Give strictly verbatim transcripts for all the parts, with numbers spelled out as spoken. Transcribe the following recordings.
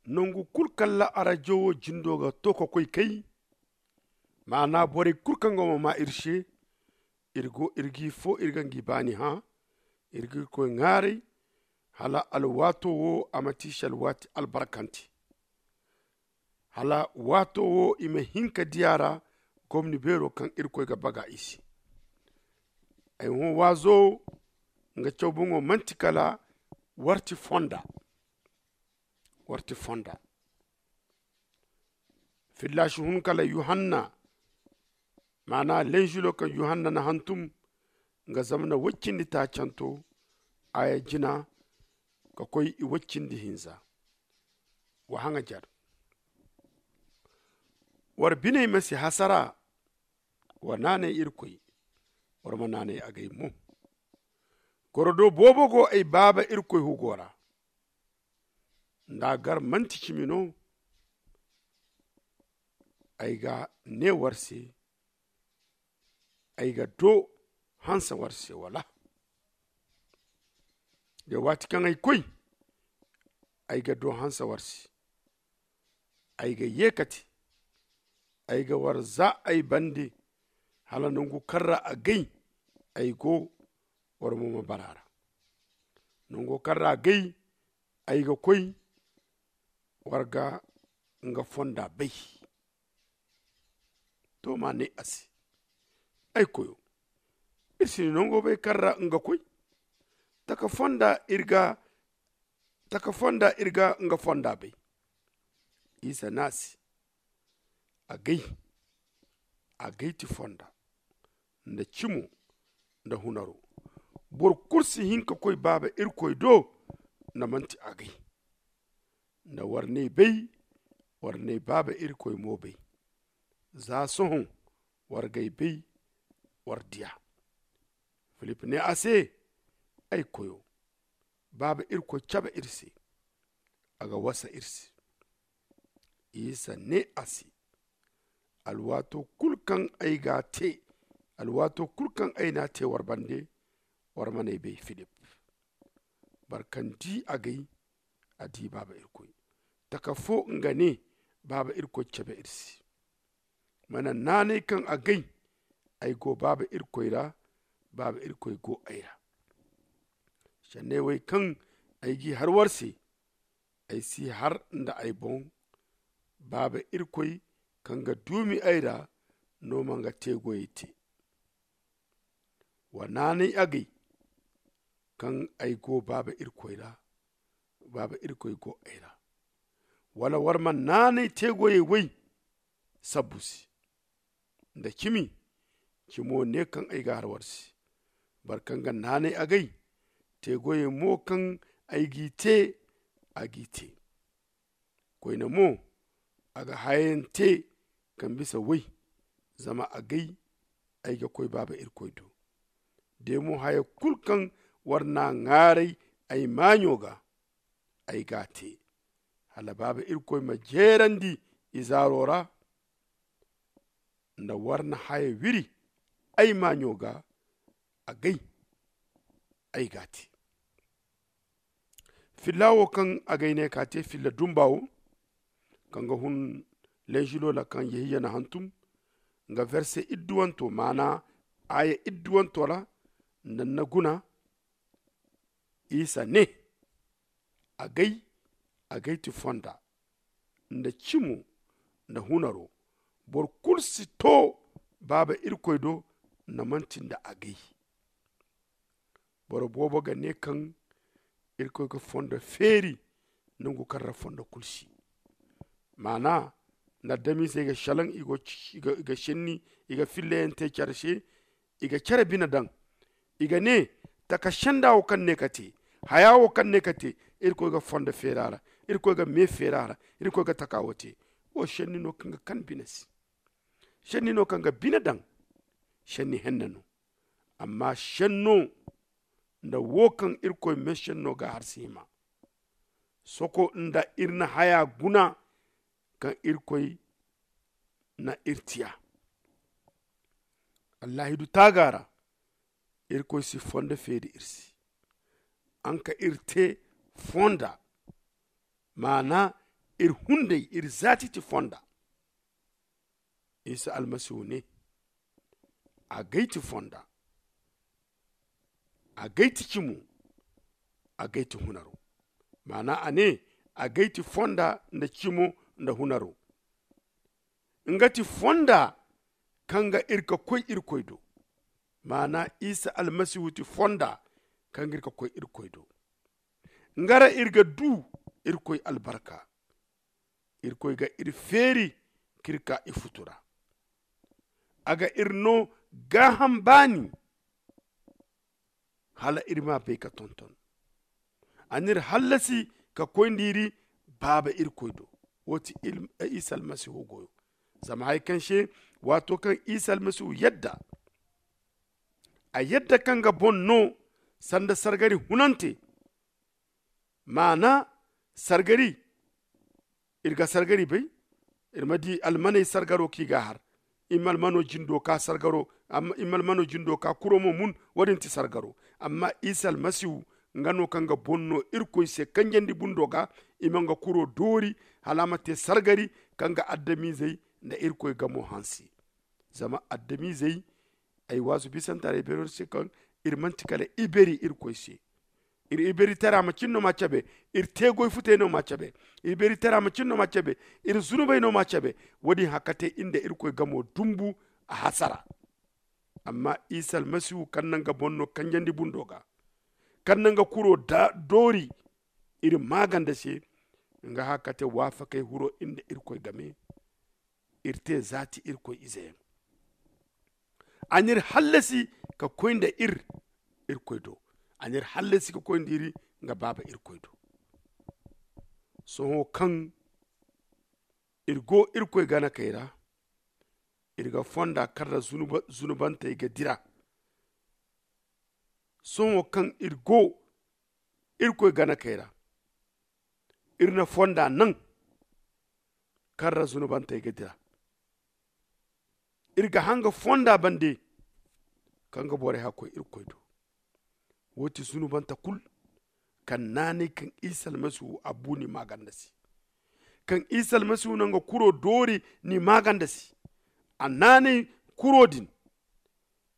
Nangu kulu kaŋ ra arajo wo jindo ga to ka koy kay, maana borey kulu kaŋ go ma maa iri se, iri go iri g'i fo iri ga ngi baani hã. Iri ga irkoy ŋwaaray hala alwaato wo a ma ti se alwaati albarkante, hala waato wo i ma hin ka di a ra gomni beero kaŋ irkoy ga baga i se. Ay hõ waazo nga caw boŋo manti kala warti fonda. Warti fonda filla si hun kala yuhanna, maana lenzulo kaŋ yuhanna na hantum nga zamana woy cindi taacanto, a ya jina ka koy i woy cindi hinza. Wa haŋajar war biney ma si hasara. War naanay irkoy war ma naanay agay mo. Gorodo boobo go ay baaba irkoy hugo ra. Nda gar manti cimi no ay ga ne war se, ay ga do hanse war se wala? De waati kaŋ ay koy ay ga do hanse war se. Ay ga ye ka te ay ga war za ay bande hala nangu kaŋ ra agay ay go. War mo ma bara ra nango kaŋ ra agay ay ga koy war ga nga fonda bay. To ma ne a se, ay koyo, iri si ni nango bay kaŋ ra nga koy. Taka fonda iri ga taka fonda iri ga nga fonda bay. Isa ne a se, agay agay ti fonda nda cimo nda hunaro. Boro kulu si hin ka koy baaba irkoy do nda manti agay. Nda war n'ay bay, war n'ay baaba irkoy mo bay. Za sohõ war g'ay bay, war diya. Filip ne a se, ay koyo, baaba irkoy cabe iri se. A ga wasa iri se. Isa ne a se, alwaato kulu kaŋ ay ga a te alwaato kulu kaŋ ay n'a te war bande, war man'ay bay filip. Boro kaŋ di agay a di baaba irkoy. Taka fo nga ne, baaba irkoy cabe iri se. Mana naanay kaŋ agay ay go baaba irkoy ra, baaba irkoy go ay ra. Sanney wey kaŋ ay g'i har war se, ay si har nda ay boŋ. Baaba irkoy kaŋ ga duumi ay ra no ma nga teegoyey te. Wa naanay agay kaŋ ay go baaba irkoy ra, baaba irkoy go ay ra. Wala war ma naanay teegoyey wey sabbu se nda cimi. Cimo ne kaŋ ay ga har war se. Boro kaŋ ga naanay agay teegoyey mo kaŋ ay g'i te, a g'i te. Koyne mo a ga hayayaŋ te kaŋ bisa woy. Zama agay ay ga koy baaba irkoy do. De mo haya kulu kaŋ war n'a ŋaaray ay maaɲo ga, ay g'a te hala baaba irkoy ma jeerandi izaaro ra. Nda war na haya wiri ay maaɲo ga, agay ay g'a te. Filla wo kaŋ agay ne ka te filla dumba wo kaŋ ga hun lenzulo ra kaŋ yehiya na hantum nga verse idduwanto maana aya idduwanto ra. Nda ni na guna isa ne, agay agay ti fonda nda cimo nda hunaro. Boro kulu si to baaba irkoy do nda manti nda agay. Boro boobo ga ne kaŋ irkoy ga fondo feeri nangu kaŋ ra fondo kulu si. Maana nda adamiizey ga selaŋ i ga senni i ga fillayaŋ te care se. I ga care bine daŋ i ga ne taka senda wo kaŋ ne ka te haya wo kaŋ ne ka te. Irkoy ga fondo feeri a ra. Irkoy ga me feeri a ra. Irkoy ga taka wo te. Wo senni no kaŋ ga kan bine se. Senni no kaŋ ga bine daŋ. Senni henne no. Amma senno nda wo kaŋ irkoy me senno ga har si hima soko nda iri na haya guna kaŋ irkoy na iri tiya. Allahidu taaga ra irkoy si fondo feeri iri se. An ka iri te fonda maana Iri hunday iri zaati ti fonda. Isa almasihu ne, a gay ti fonda, a gay ti cimo, a gay ti hunaro. Maana a ne, a gay ti fonda nda cimo nda hunaro. Nga ti fonda kaŋ ga iri ga koy irkoy do. Maana isa almasihu ti fonda kaŋ ga iri ga koy irkoy do. Nga ra iri ga du irkoy albarka. Irkoy ga iri feeri k'iri ka ifutu ra. A ga iri no gaaham baani hala iri ma bay ka tonton. A n'iri hallasi ka koy nda iri baaba irkoy do. Wo ti isa almasihu goyo. Zama hari kaŋ se waato kaŋ isa almasihu yadda a yadda kaŋ ga boŋ no sanda sargari hunante. Maana sargari iri ga sargari bay. Iri ma di almaney sargaro kaŋ i ga a har. I ma almano jindo ka sargaro i ma almano jindo ka kuro mo mun. Wo- din ti sargaro. Amma isa almasihu nga no kaŋ ga boŋ no irkoy se kanjandi bundo ga. I ma nga kuro doori hala a ma te sargari kaŋ ga adamizey nda irkoy gamo hanse. Zama adamizey ay waazu bisanta ra ay beero se kaŋ iri manti kala iberi irkoy se. Iri iberitara macin no ma cabe. Iri teegoy futey no ma cabe. Iberitara macin no ma cabe. Iri zunubey no ma cabe. Wo- din hakkate iri nda irkoy gamo dumbu a hasara. Amma isa almasihu kaŋ naŋ ga boŋ no kanjandi bundo ga kaŋ naŋ ga kuro doori iri maaganda se. Nga hakkate waafakey huro iri nda irkoy game. Iri te zaati irkoy izeyaŋ. A n'iri hallasi ka koy nda iri irkoy do. A n'iri hallasi ka koy nda iri nga baaba irkoy do. Sohõ kaŋ iri go irkoy ganakey ra iri ga fonda kaŋ ra zunubantey ga dira. Sohõ kaŋ iri go irkoy ganakey ra iri na fonda naŋ kaŋ ra zunubantey ga dira. Iri ga hanga fonda bande kaŋ ga borey hakkoy irkoy do. Wo- ti zunubanta kulu kaŋ naanay kaŋ isa almasihu a bu ni maaganda se. Kaŋ isa almasihu naŋ ga kuro doori ni maaganda se. A naanay kuro din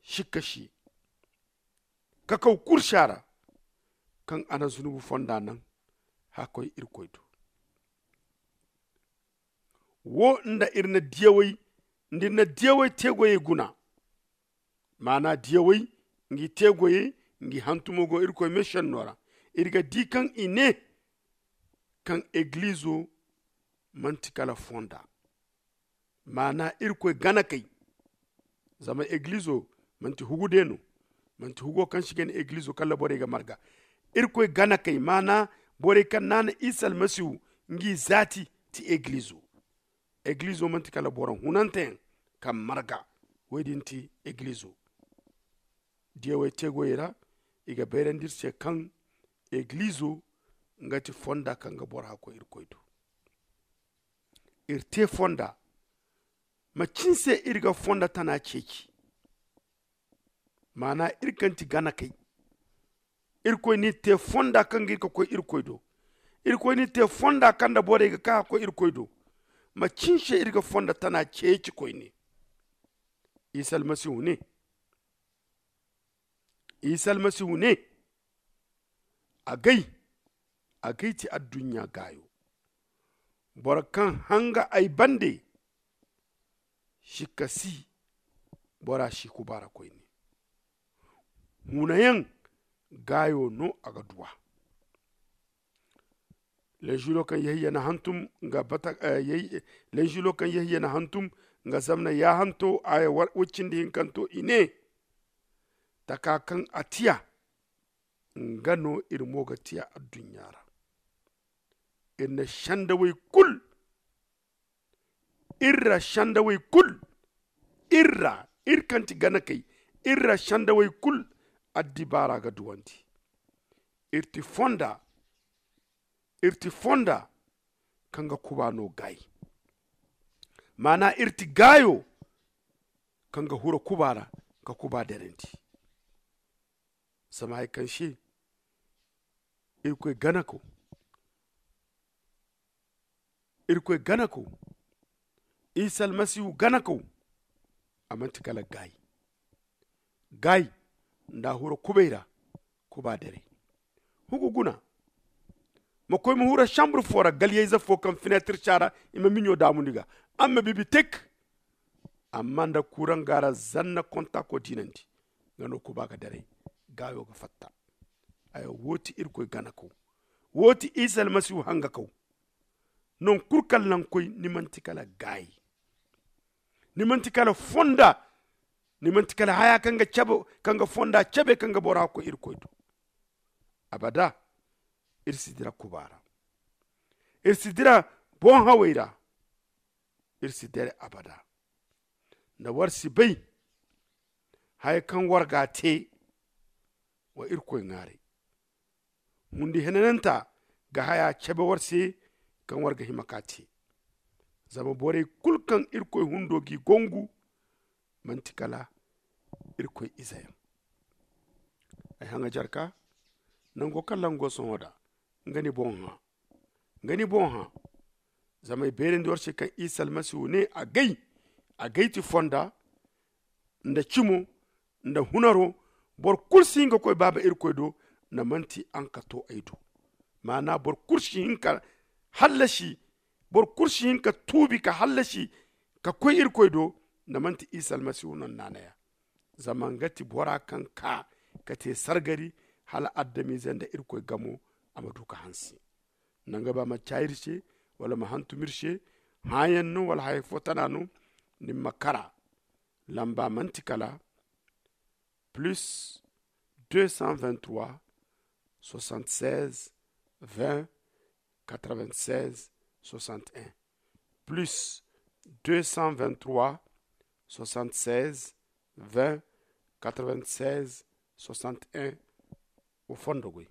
sikka si kakaw kursa ra kaŋ a na zunubu fonda naŋ hakkoy irkoy do. Wo nda iri na diyawey nda iri na diyawey teegoyey guna. Maana diyawey ngi teegoyey ngi hantumo go irkoy meesenno ra. Iri ga di kaŋ i ne kaŋ egilizo manti kala fonda. Maana irkoy ganakey. Zama egilizo manti hugu de no. Manti hugo kaŋ si gana egilizo kala borey ga marga. Irkoy ganakey maana borey kaŋ naana isa almasihu ngi zaati ti egilizo. Egilizo manti kala boro hunanteyaŋ kaŋ marga. Wo- din ti egilizo. Diyawey teegoyey ra i ga bayrandi iri se kaŋ egilizo nga ti fonda kaŋ ga boro hakkoy irkoy do. Iri te fonda macin se iri ga fonda tana ceeci. Maana iri kaŋ ti ganakey irkoy n'iri te fonda kaŋ ga iri ga koy irkoy do. Irkoy n'iri te fonda kaŋ nda borey ga ka ga koy irkoy do. Macin se iri ga fonda tana ceeci koyne. Isa almasihu ne isa almasihu ne, agay agay ti adduɲɲa gaayo. Boro kaŋ hanga ay bande sikka si bora si kubaara koyne. Huunayaŋ gaayo no a ga duw'a. Lenzulo kaŋ yahiya na hantum nga bata. Lenzulo kaŋ yahiya na hantum nga zamna yaahanto aya wacindi hinkanto i ne, taka kaŋ a tiya nga no iri mo ga tiya adduɲɲa ra. Iri na sandawey kulu iri ra sandawey kulu iri ra iri kaŋ ti ganakey iri ra sandawey kulu addibaara ga duwandi. Iri ti fonda iri ti fonda kaŋ ga kuba no gaayi. Maana iri ti gaayo kaŋ ga hura kuba ra ka kuba derandi. Zama hari kaŋ se irkoy ganako Irkoy ganakaw, isa almasihu ganakaw, a manti kala gaayi. Gaayi nda a hura kubay ra. Kuba daray hugu guna. Ma koy ma hura sambur fo ra galyayze fo kaŋ fineetir si a ra. I ma miɲo daamundi ga. Amma bibi tek. Amma nda kuuraŋ ga a ra zanna konta ko diinandi. Nga no kuba ga daray. Gaayo ga fatta. Aya wo ti irkoy ganakaw. Wo ti isa almasihu hangakaw. Nangu kulu kaŋ naŋ koy ni manti kala gaayi. Ni manti kala fonda. Ni manti kala haya kaŋ ga fonda cabe kaŋ ga bora koy irkoy do. Abada. Iri si dira kuba ra. Iri si dira boŋ hawey ra. Iri si dira abada. Nda war si bay haya kaŋ war ga a te. Wa irkoy ŋwaaray. Hundi henananta ga haya cabe war se kaŋ war ga hima ka te. Zama borey kulu kaŋ irkoy hundo g'i gongu manti kala irkoy ize yaŋ. Ay haŋajarka nango kaŋ lango sohõ da nga ni boŋ hã. Nga ni boŋ hã. Zama ay beerandi war se kaŋ isa almasihu ne a gay a gay ti fonda nda cimo nda hunaro. Boro kulu si hin ga koy baaba irkoy do nda manti araŋ ka to ay do. Maana boro kulu si hin ka hallasi. Boro kulu si hin ka tuubi ka hallasi ka koy irkoy do nda manti isa almasihu no ni naanaya. Zama nga ti bora kaŋ ka ka te sargari hala adamize nda irkoy gamo a ma du ka hanse. Nanga ba ma caayir se wala ma hantumir se. Hãyaŋ no wala haya fo tana no. Ni ma kara lamba manti kala plus deux cent vingt-trois soixante-seize vingt quatre-vingt-seize soixante-un plus deux cent vingt-trois soixante-seize vingt quatre-vingt-seize soixante-un. Wo fondo goy.